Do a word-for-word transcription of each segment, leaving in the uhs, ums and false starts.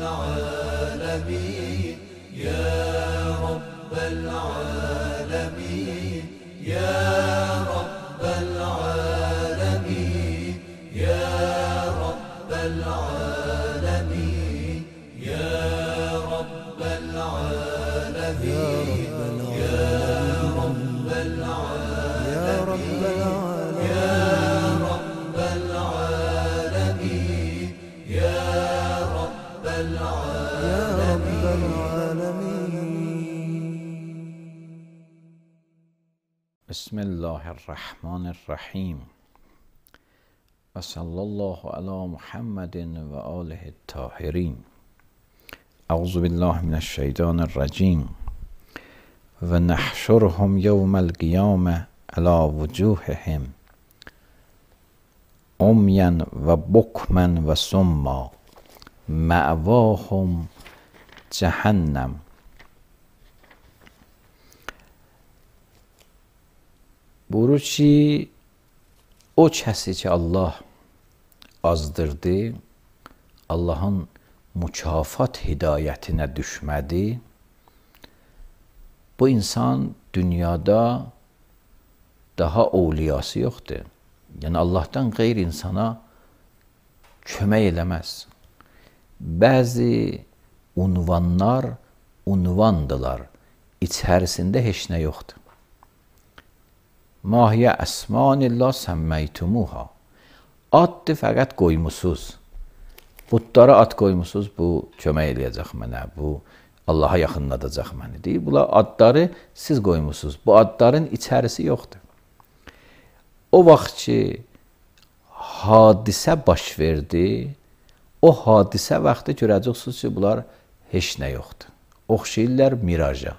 العالمين يا رب العالمين يا رب العالمين يا رب العالمين يا رب العالمين يا رب العالمين يا رب العالمين يا رب العالمين. بسم الله الرحمن الرحیم و صلی الله علی محمد و آله الطاهرین. اعوذ بالله من الشیطان الرجیم و نحشرهم یوم القیامة علی وجوههم عمیا و بکما و صما مأواهم جهنم. Buyurur ki, o kəsi ki Allah azdırdı, Allahın mükafat hidayətinə düşmədi, bu insan dünyada daha ovliyası yoxdur. Yəni Allahdan qeyr insana kömək eləməz. Bəzi unvanlar unvandılar, içərisində heç nə yoxdur. Mahiyə əsmanillah səmməytumuha. Addır fəqət qoymusuz. Budlara ad qoymusuz, bu kömək eləyəcək mənə, bu Allaha yaxınladacaq məni deyir. Bunlar adları siz qoymusuz. Bu adların içərisi yoxdur. O vaxt ki, hadisə baş verdi, o hadisə vaxtı görəcəksiniz ki, bunlar heç nə yoxdur. Oxşayırlar miraja.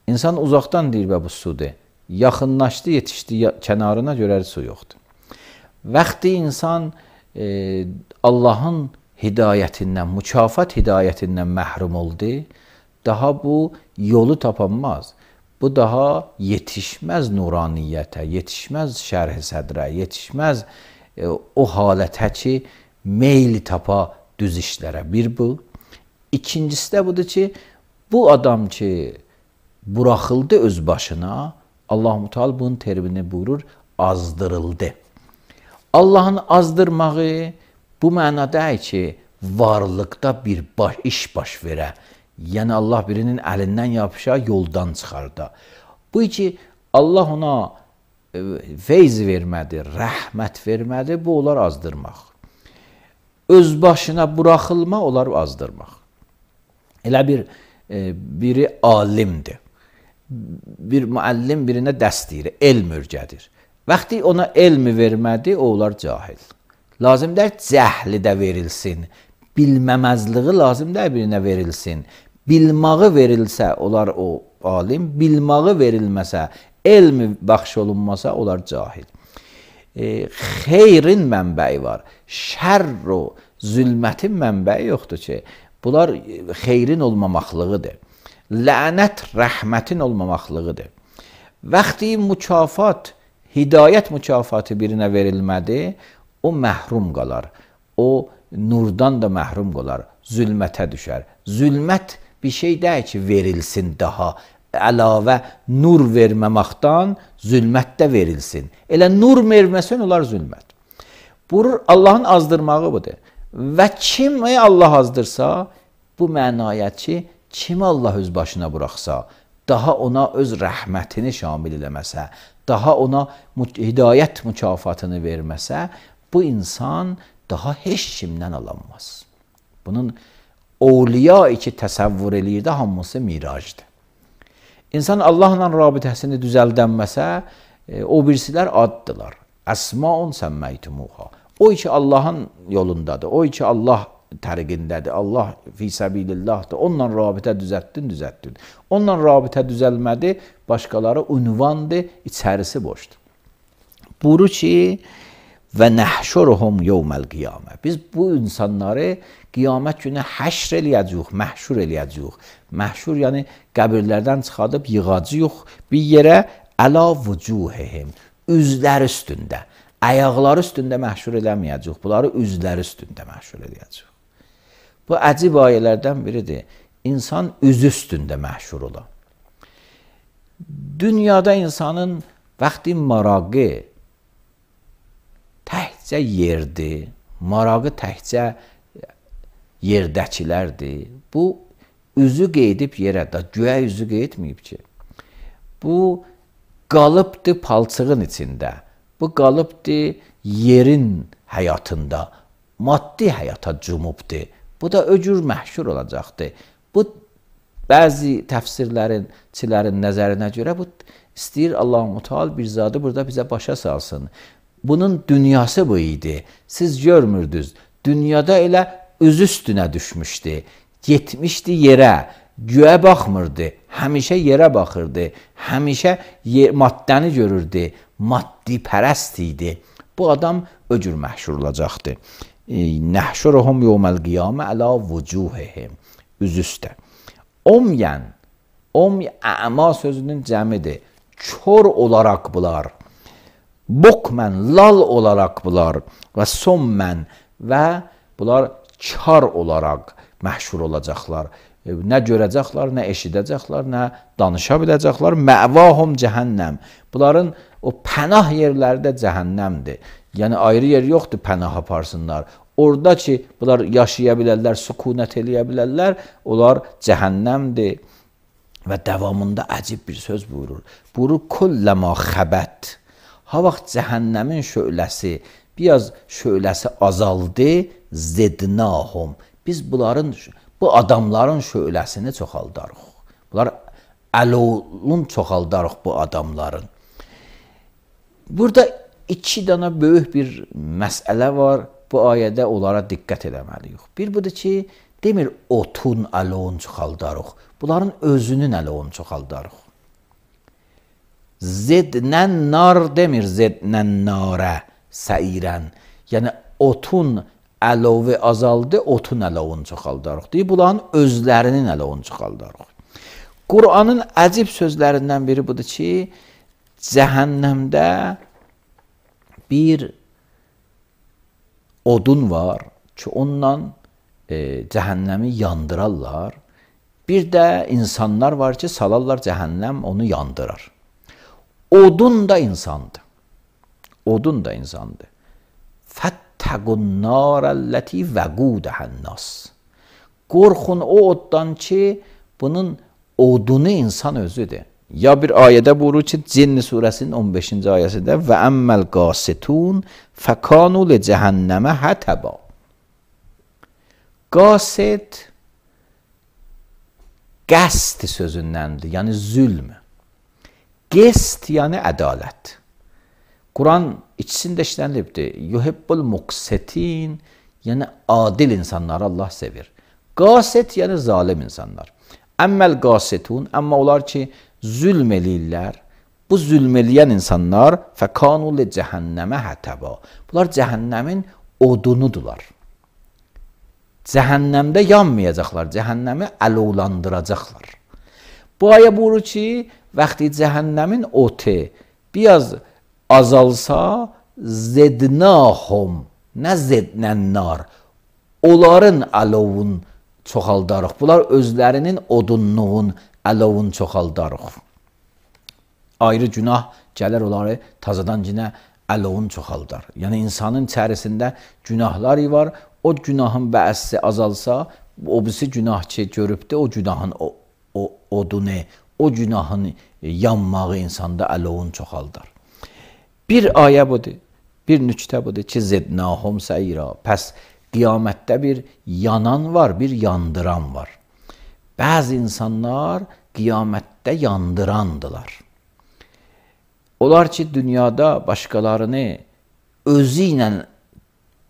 İnsan uzaqdan deyir və bu sudur. Yaxınlaşdı, yetişdi kənarına görər su yoxdur. Vaxtı insan e, Allahın hidayətindən, mükafat hidayətindən məhrum oldu, daha bu yolu tapanmaz. Bu daha yetişməz nuraniyyətə, yetişməz şərh-i sədrə, yetişməz e, o halətə ki, meyli tapa düz işlərə. Bir bu. İkincisi də budur ki, bu adam ki, buraxıldı öz başına, Allah-u Teala bunun terimini buyurur, azdırıldı. Allahın azdırmağı bu mənada ki, varlıqda bir baş, iş baş verə. Yəni Allah birinin əlindən yapışa, yoldan çıxarda. Bu ki, Allah ona e, feyz vermədi, rəhmət vermədi, bu olar azdırmaq. Öz başına buraxılma olar azdırmaq. Elə bir e, biri alimdir. Bir müəllim birinə dərs deyir, elm örgədir. Vaxtı ona elmi vermədi, o olar cahil. Lazımdır cəhli də verilsin, bilməməzliği lazımdır birinə verilsin. Bilmağı verilsə, olar o alim, bilmağı verilməsə, elmi bəxş olunmasa, olar cahil. E, xeyrin mənbəyi var, şərr o, zülmətin mənbəyi yoxdur ki, bunlar xeyrin olmamaqlığıdır. Lənət rəhmətin olmamaqlığıdır. Vaxtı mükafat, hidayət mükafatı birinə verilmədi, o məhrum qalar. O nurdan da məhrum qalar, zülmətə düşər. Zülmət bir şey deyil ki, verilsin daha. Əlavə nur verməməkdən zülmət də verilsin. Elə nur verməsən olar zülmət. Buyurur, Allahın azdırmağı budur. Və kim Allah azdırsa, bu mənaya ki, kimi Allah öz başına buraxsa, daha ona öz rəhmətini şamil eləməsə, daha ona hidayət mükafatını verməsə, bu insan daha heç kimdən alanmaz. Bunun ovliya iki təsəvvür eləyirdi, hamısı mirajdır. İnsan Allahla rabitəsini düzəldənməsə, e, o birisilər addılar. Əsmaun səmməytumuha. O ki Allahın yolundadır, o ki Allah təriqindədir, Allah fi səbilillahdır, onunla rabitə düzəltdin, düzəltdin. Onunla rabitə düzəlmədi, başqaları ünvandır, içərisi boşdur. Buyurur ki, və nəhşuruhum yevməl qiyamə. Biz bu insanları qiyamət günü həşr eləyəcəyik, məhşur eləyəcəyik. Məhşur yəni qəbirlərdən çıxadıb yığacağıq bir yerə, əla vücuhihim, üzlər üstündə. Ayaqları üstündə məhşur eləməyəcəyik, bunları üzləri üstündə məhşur eləyəcəyik. Bu əcib ayələrdən biridir. İnsan üzü üstündə məhşur ola. Dünyada insanın vaxtı marağı təkcə yerdir. Marağı təkcə yerdəkilərdir. Bu üzü qeydib yerə, da güya üzü qeydməyib ki. Bu qalıbdır palçığın içində. Bu qalıbdır yerin həyatında. Maddi həyata cumubdur. Bu da öcür məhşur olacaqdır. Bu bəzi təfsirlərin nəzərinə görə bu istəyir Allah-u Teala bir zadı burada bizə başa salsın. Bunun dünyası bu idi. Siz görmürdünüz. Dünyada elə üz üstünə düşmüşdü. Getmişdi yerə. Göyə baxmırdı. Həmişə yerə baxırdı. Həmişə maddəni görürdü. Maddi pərəst idi. Bu adam öcür məhşur olacaqdı. Nəhşuruhum yevməl qiyamə əla vucuhihim. Üz üstə. Omyen, om əma sözünün cəmidir. Kör olaraq bunlar. Bukmen, lal olaraq bunlar. Və sommən və bunlar kar olaraq məhşur olacaqlar. Nə görəcəklər, nə eşidəcəklər, nə danışa biləcəklər. Məvahum cəhənnəm. Bunların o pənah yerləri də cəhənnəmdir. Yəni ayrı yer yoxdur pənah aparsınlar. Orada ki, bunlar yaşaya bilərlər, sükunət eləyə bilərlər, onlar cəhənnəmdir. Və davamında əcib bir söz buyurur. Buyurur, kulləmə xəbət. Ha vaxt cəhənnəmin şöləsi, biraz şöləsi azaldı, zednahum. Biz bunların, bu adamların şöləsini çoxaldarıq. Bunlar əlolun çoxaldarıq bu adamların. Burada iki dana böyük bir məsələ var. Bu ayədə onlara diqqət eləməliyik. Bir budur ki, demir otun əlon çoxaldarıq. Bunların özünün əlon çoxaldarıq. Zednən nar demir, zednən narə səirən. Yəni otun əlovi azaldı, otun əlon çoxaldarıq. Deyir, bunların özlərinin əlon çoxaldarıq. Qur'anın əcib sözlərindən biri budur ki, cəhənnəmdə bir odun var ki, ondan e, cəhənnəmi yandırarlar. Bir də insanlar var ki, salarlar cəhənnəm onu yandırar. Odun da insandır. Odun da insandır. Fəttəqun narəlləti vəqudəhənnas. Qorxun o oddan ki, bunun odunu insan özüdür. Ya bir ayədə buyurur ki, Cinn surəsinin on beşinci ayəsində və əmməl qasitun fəkanu li cəhənnəmə hətəba. Qasit qəst sözündəndir, yəni zülm. Qist yəni ədalət. Quran ikisində işlənilibdir. Yuhibbul muqsitin, yəni adil insanları Allah sevir. Qasit yəni zalim insanlar. Əmməl qasitun, amma onlar ki, zülm eləyirlər. Bu zülm eləyən insanlar fəkanu li cəhənnəmə hətəba. Bunlar cəhənnəmin odunudular. Cəhənnəmdə yanmayacaqlar, cəhənnəmi əlovlandıracaqlar. Bu ayə buyurur ki, vaxtı cəhənnəmin otu biraz azalsa, zednahum, nə zednənnar, onların əlovun çoxaldarıq. Bunlar özlərinin odunluğun, əlovun çoxaldarıq. Ayrı günah gələr onları tazadan cinə əlovun çoxaldar. Yəni insanın içərisində günahlar var. O günahın bəəsi azalsa, o birisi günah ki görübdür, o günahın o, o, odunu, o günahın yanmağı insanda əlovun çoxaldar. Bir ayə budur, bir nüktə budur ki, zednahum səyra. Pəs qiyamətdə bir yanan var, bir yandıran var. Bəzi insanlar qiyamətdə yandırandılar. Onlar ki, dünyada başqalarını özü ilə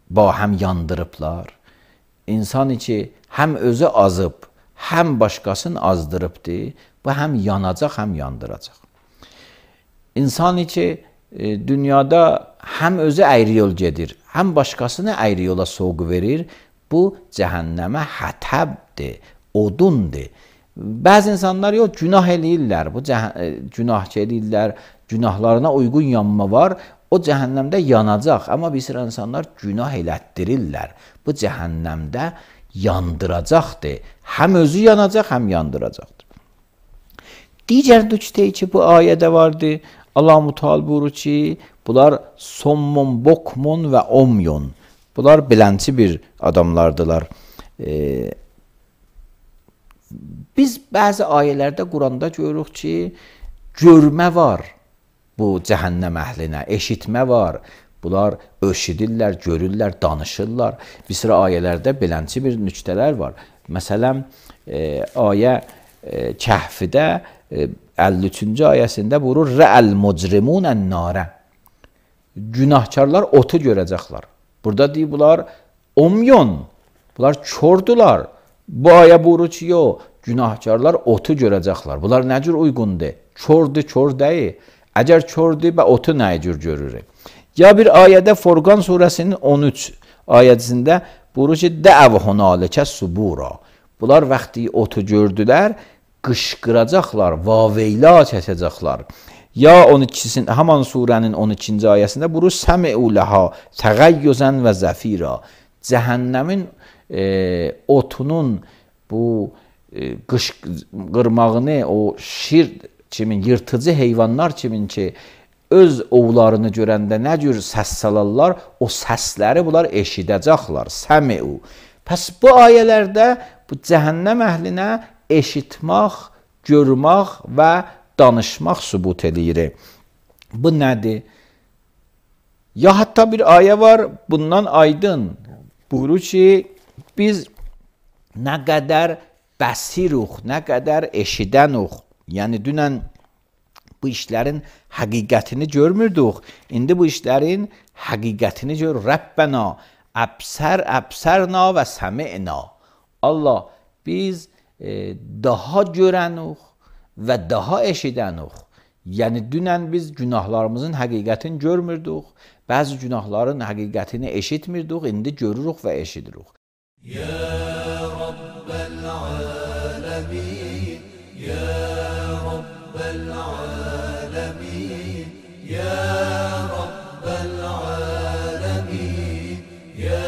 bahəm yandırıblar. İnsan ki, həm özü azıb, həm başqasını azdırıbdır. Bu həm yanacaq, həm yandıracaq. İnsan ki, dünyada həm özü əyri yol gedir, həm başqasını əyri yola soğu verir. Bu cəhənnəmə hətəbdir, odundur. Bəzi insanlar yox, günah eləyirlər, bu günah eləyirlər, günahlarına uyğun yanma var, o cəhənnəmdə yanacaq. Amma bir sıra insanlar günah elətdirirlər. Bu cəhənnəmdə yandıracaqdır. Həm özü yanacaq, həm yandıracaqdır. Digər nöqtə ki bu ayədə vardı. Allah Teala buyurur ki, bunlar sommun, bokmun və omyun. Bunlar bilənçi bir adamlardılar. Ee, biz bəzi ayələrdə Quranda görürük ki, görmə var bu cəhənnəm əhlinə, eşitmə var. Bunlar eşidirlər, görürlər, danışırlar. Bir sıra ayələrdə belənçi bir nöqtələr var. Məsələn, e, ayə e, Kəhfdə e, əlli üçüncü ayəsində buyurur: "Rə'əl mucrimun ən-nara." Günahkarlar otu görəcəklər. Burada deyir bunlar omyon, bunlar çordular. Bu ayə buyurur ki, yox, günahkarlar otu görəcəklər. Bunlar nə cür uyğundur? Çordu, çor deyil. Əgər çordu və otu nə cür görürük? Ya bir ayədə Furqan surəsinin on üç ayəsində buyurur ki, "Də'v hunaləkə subura." Bunlar vaxtı otu gördülər, qışqıracaqlar, vaveyla çəkəcəklər. Ya on ikisinin, haman surənin on ikinci ayəsində buyurur, "Səmi'u laha təğayyuzən və zəfira." Cəhənnəmin e, otunun bu e, qışqırmağını, o şir kimin, yırtıcı heyvanlar kimin ki, öz ovlarını görəndə nə cür səs salarlar, o səsləri bunlar eşidəcəklər. Səmi'u. Pəs bu ayələrdə bu cəhənnəm əhlinə eşitmək, görmək və danışmaq sübut edir. Bu nədir? Ya hətta bir ayə var, bundan aydın. Buyurur ki, biz nə qədər bəsiruq, nə qədər eşidənuq. Yəni dünən bu işlərin həqiqətini görmürdük. İndi bu işlərin həqiqətini görürük. Rəbbənə əbsər əbsərna və səmi'na. Allah, biz e, daha görənuq və daha eşidənuq. Yəni dünən biz günahlarımızın həqiqətini görmürdük. Bəzi günahların həqiqətini eşitmirdik, indi görürük və eşidirik. Ya Rabbel alemin, ya Rabbel alemin, ya Rabbel alemin, ya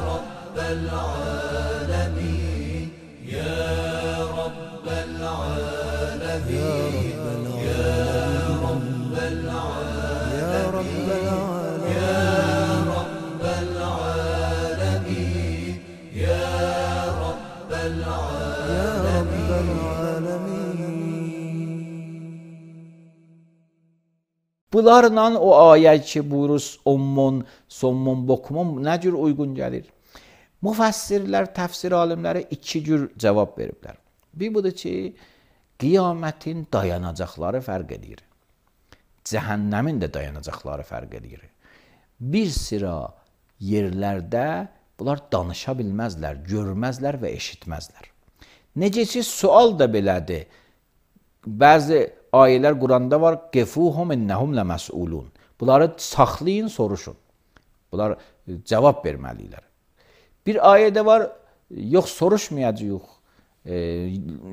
Rabbel alemin, ya Rabbel alemin, ya Rabbel alemin, ya Rabbel Bunlarla o ayə ki, buyurur, ommun, sommun, bokmun nə cür uyğun gəlir? Müfəssirlər, təfsir alimləri iki cür cavab veriblər. Bir budur ki, qiyamətin dayanacaqları fərq edir. Cəhənnəmin də dayanacaqları fərq edir. Bir sıra yerlərdə bunlar danışa bilməzlər, görməzlər və eşitməzlər. Necə ki, sual da belədir. Bəzi ayələr Quranda var, "Qifuhum innəhum ləməsulun." Bunları saxlayın, soruşun. Bunlar cavab verməlidirlər. Bir ayədə var, yox soruşmayacağıq.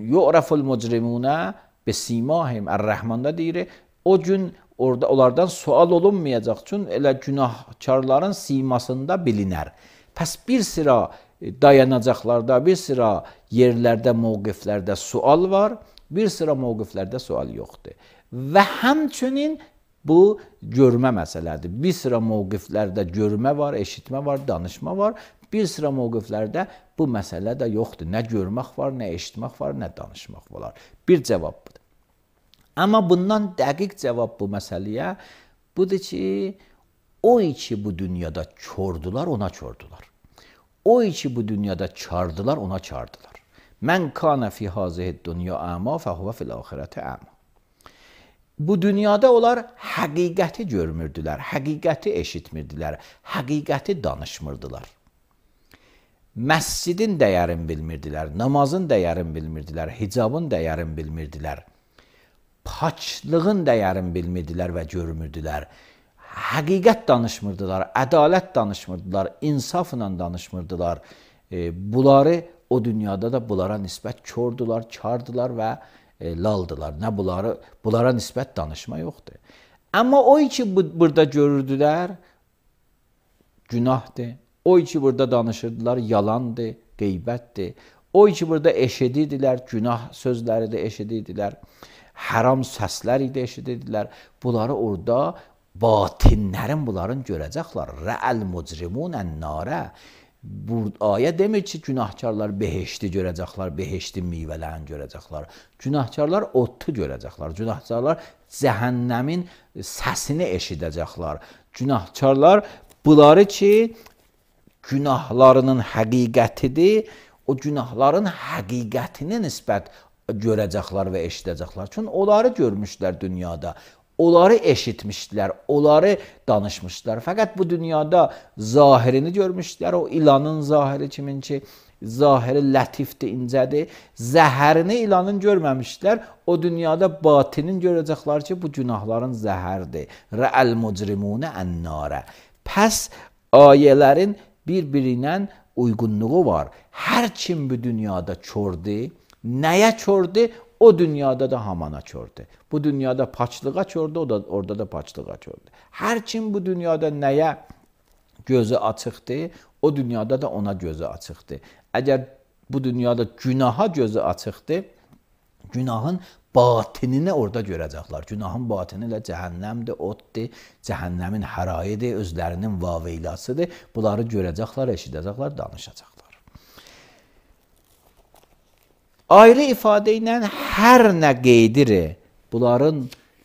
Yu'raful mucrimunə bisimahim. Ər-Rəhmanda deyir, o gün orada onlardan sual olunmayacaq. Çünki elə günahkarların simasında bilinər. Pəs bir sıra dayanacaqlarda, bir sıra yerlərdə, mövqiflərdə sual var. Bir sıra mövqiflərdə sual yoxdur. Və həmçinin bu görmə məsələdir. Bir sıra mövqiflərdə görmə var, eşitmə var, danışma var. Bir sıra mövqiflərdə bu məsələ də yoxdur. Nə görmək var, nə eşitmək var, nə danışmaq var. Bir cavab budur. Amma bundan dəqiq cavab bu məsələyə budur ki, o ki bu dünyada çordular, ona çordular. O ki bu dünyada çardılar, ona çardılar. Mən kana fi hazihi dünya ama fəhuva fil axirəti ama. Bu dünyada onlar həqiqəti görmürdülər, həqiqəti eşitmirdilər, həqiqəti danışmırdılar. Məscidin dəyərini bilmirdilər, namazın dəyərini bilmirdilər, hicabın dəyərini bilmirdilər, paçlığın dəyərini bilmirdilər və görmürdülər. Həqiqət danışmırdılar, ədalət danışmırdılar, insafla danışmırdılar. E, bunları o dünyada da bunlara nisbət kördular, kardılar və e, laldılar. Nə bunları, bunlara nisbət danışma yoxdur. Amma o ki bu, burada görürdülər, günahdır. O ki burada danışırdılar, yalandır, qeybətdir. O ki burada eşidirdilər, günah sözləri də eşidirdilər, haram səslər idi eşidirdilər. Bunları orada batinlərin bunların görəcəklər. Rə'əl mucrimunən narə. Bu ayə demir ki, günahkarlar behişti görəcəklər, behiştin meyvələrini görəcəklər. Günahkarlar otu görəcəklər. Günahkarlar cəhənnəmin səsini eşidəcəklər. Günahkarlar bunları ki, günahlarının həqiqətidir, o günahların həqiqətini nisbət görəcəklər və eşidəcəklər. Çünki onları görmüşlər dünyada. Onları eşitmişdilər, onları danışmışlar. Fəqət bu dünyada zahirini görmüşdülər. O ilanın zahiri kimin ki, zahiri lətifdir, incədir. Zəhərini ilanın görməmişdilər. O dünyada batinin görəcəklər ki, bu günahların zəhərdir. Rə'əl mucrimunə ən-narə. Pəs ayələrin bir-birinə uyğunluğu var. Hər kim bu dünyada kördir, nəyə kördir? O dünyada da hamana kördür. Bu dünyada paçlığa kördür, o da orada da paçlığa kördür. Hər kim bu dünyada nəyə gözü açıqdır, o dünyada da ona gözü açıqdır. Əgər bu dünyada günaha gözü açıqdır, günahın batinini orada görəcəklər. Günahın batini ilə cəhənnəmdir, oddur, cəhənnəmin hərayıdır, özlərinin vaveylasıdır. Bunları görəcəklər, eşidəcəklər, danışacaqlar. Ayrı ifadə ilə hər nə qeydir, bunların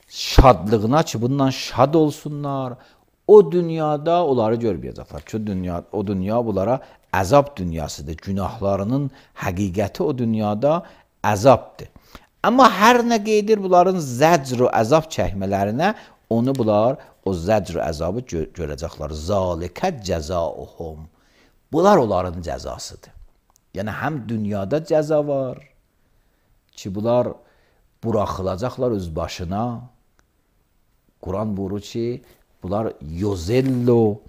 şadlığına ki, bundan şad olsunlar, o dünyada onları görməyəcəklər. Çünki dünya, o dünya bunlara əzab dünyasıdır. Günahlarının həqiqəti o dünyada əzabdır. Amma hər nə qeydir, bunların zəcr və əzab çəkmələrinə, onu bunlar o zəcr və əzabı gö görəcəklər. Zalikə cəzauhum. Bunlar onların cəzasıdır. Yəni, həm dünyada cəza var, ki, bunlar buraxılacaqlar öz başına. Quran buyurur ki, bunlar yozello,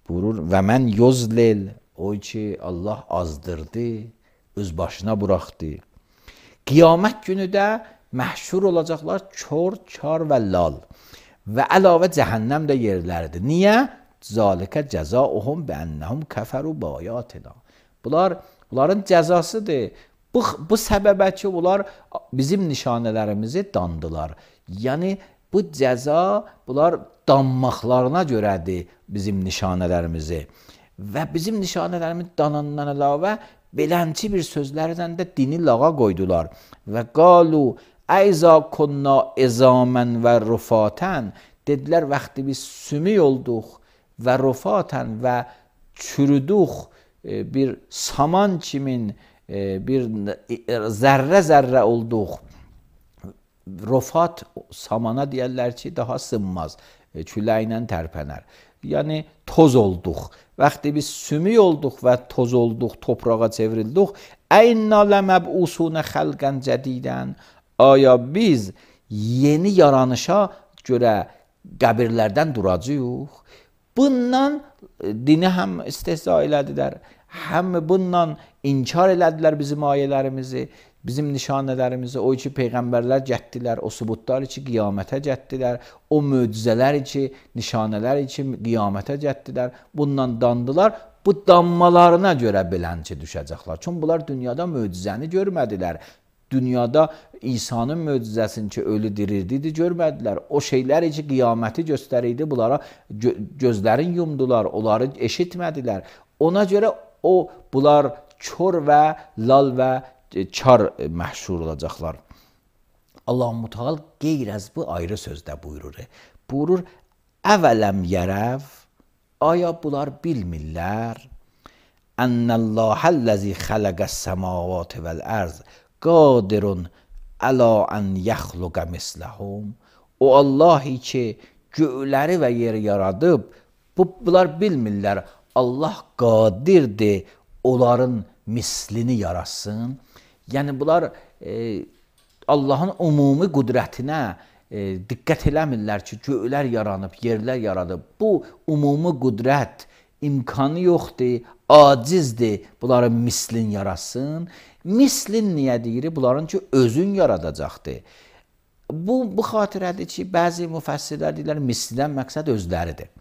buyurur, və mən yozlel, o ki, Allah azdırdı, öz başına buraxdı. Qiyamət günü də məhşur olacaqlar kör, kar və lal. Və əlavə cəhənnəm də yerləridir. Niyə? Zalikə cəzauhum bənnəhum kəfəru bayatina. Bunlar, bunların cəzasıdır. Bu, bu səbəbə ki, bunlar bizim nişanələrimizi dandılar. Yəni, bu cəza, bunlar danmaqlarına görədir bizim nişanələrimizi. Və bizim nişanələrimiz danandan əlavə belənçi bir sözlərdən də dini lağa qoydular. Və qalu, əyza kunna ezamən və rufatən, dedilər, vaxtı biz sümük olduq və rufatən və çürüdük, bir saman kimin, bir zərrə-zərrə olduq. Rofat samana deyərlər ki, daha sınmaz, küləklə tərpənər. Yəni, toz olduq. Vaxtı biz sümük olduq və toz olduq, toprağa çevrildik. Əynna ləməb'usunə xəlqən cədidən. Aya biz yeni yaranışa görə qəbirlərdən duracağıq. Bundan dini həm istehza elədilər, həm bundan inkar elədilər bizim ayələrimizi, bizim nişanələrimizi. O ki, peyğəmbərlər gətdilər, o subutlar ki, qiyamətə gətdilər, o möcüzələr ki, nişanələr ki, qiyamətə gətdilər, bundan dandılar. Bu danmalarına görə belənçi düşəcəklər. Çünki bunlar dünyada möcüzəni görmədilər. Dünyada İsa'nın möcüzəsini ki, ölü dirirdi, görmədilər. O şeylər ki, qiyaməti göstərirdi, bunlara gö gözlərin yumdular, onları eşitmədilər. Ona görə o, bunlar kör və lal və kar məhşur olacaqlar. Allah-u Müteal qeyr-əz bu ayrı sözdə buyurur. Buyurur, əvələm yərəv, aya bunlar bilmirlər, ennəllâhəlləzi xələqəs səmavati vəl-ərz, qadirun əla ən yəxluqə misləhum. O Allahi ki, göyləri və yeri yaradıb, bu, bunlar bilmirlər, Allah qadirdir, onların mislini yaratsın. Yəni, bunlar e, Allahın umumi qüdrətinə e, diqqət eləmirlər ki, göylər yaranıb, yerlər yaradıb. Bu umumi qüdrət imkanı yoxdur, acizdir, bunların mislin yaratsın. Mislin niyə deyir? Bunların ki, özün yaradacaqdır. Bu, bu xatirədir ki, bəzi müfəssirlər deyirlər, mislidən məqsəd özləridir.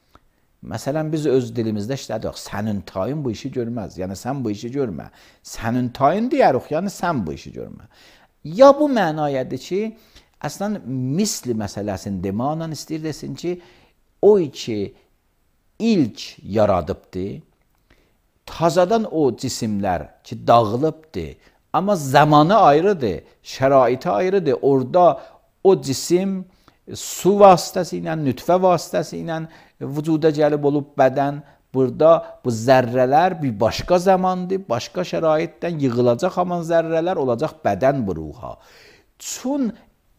Məsələn, biz öz dilimizdə işlədik. Sənin tayın bu işi görməz. Yəni, sən bu işi görmə. Sənin tayın deyərik, yəni sən bu işi görmə. Ya bu mənayədir ki, əslən, misli məsələsini deməklə istəyir desin ki, o ki, ilk yaradıbdır, tazadan o cisimlər ki, dağılıbdır, amma zamanı ayrıdır, şəraiti ayrıdır. Orada o cisim su vasitəsi ilə, nütfə vasitəsi ilə vücuda gəlib olub bədən, burada bu zərrələr bir başqa zamandır, başqa şəraitdən yığılacaq haman zərrələr olacaq bədən bu ruha. Çün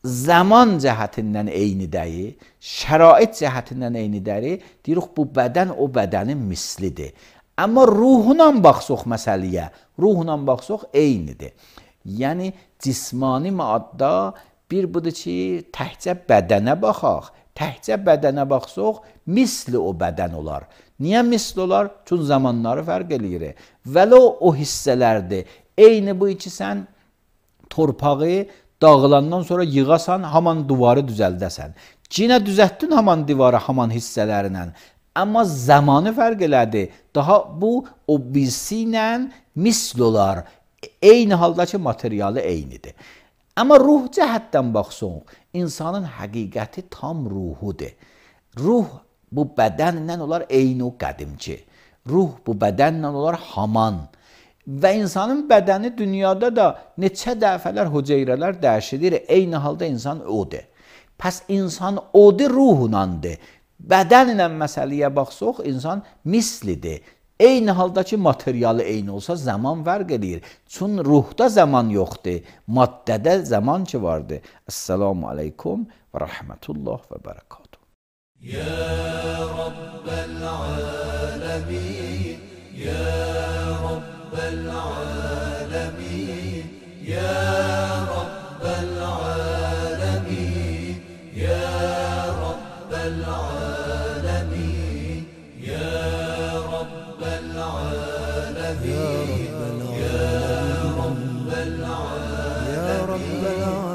zaman cəhətindən eyni deyil, şərait cəhətindən eyni deyil, deyirik bu bədən o bədənin mislidir. Amma ruhuna baxsaq məsələyə, ruhuna baxsaq eynidir. Yəni, cismani maddə bir budur ki, təhcə bədənə baxaq, təhcə bədənə baxsaq, misli o bədən olar. Niyə misli olar? Çünki zamanları fərq eləyir. Vələ o hissələrdir. Eyni bu ki, sən torpağı dağılandan sonra yığasan, haman divarı düzəldəsən. Yenə düzəltdin haman divarı, haman hissələrinə. Amma zamanı fərq elədi. Daha bu, o birisi ilə misli olar. Eyni haldakı materialı eynidir. Amma ruh cəhətdən baxsaq, insanın həqiqəti tam ruhudur. Ruh bu bədənlə olar eyni o qədimki. Ruh bu bədənlə olar haman. Və insanın bədəni dünyada da neçə dəfələr hüceyrələr dəyişilir. Eyni halda insan odur. Pəs insan odur ruhunandır. Bədənlə məsələyə baxsaq, insan mislidir. Eyni haldakı materialı eyni olsa zaman fərq edir. Çün ruhda zaman yoxdur, maddədə zaman ki vardır. Esselamu aleykum və rəhmətullah və bərəkatuhu. Ya Rabbel alemin, Ya Rabbel alemin, Ya Rabbel alemin, Ya Rabbel alemin, Ya العالمين يا رب العالمين يا رب العالمين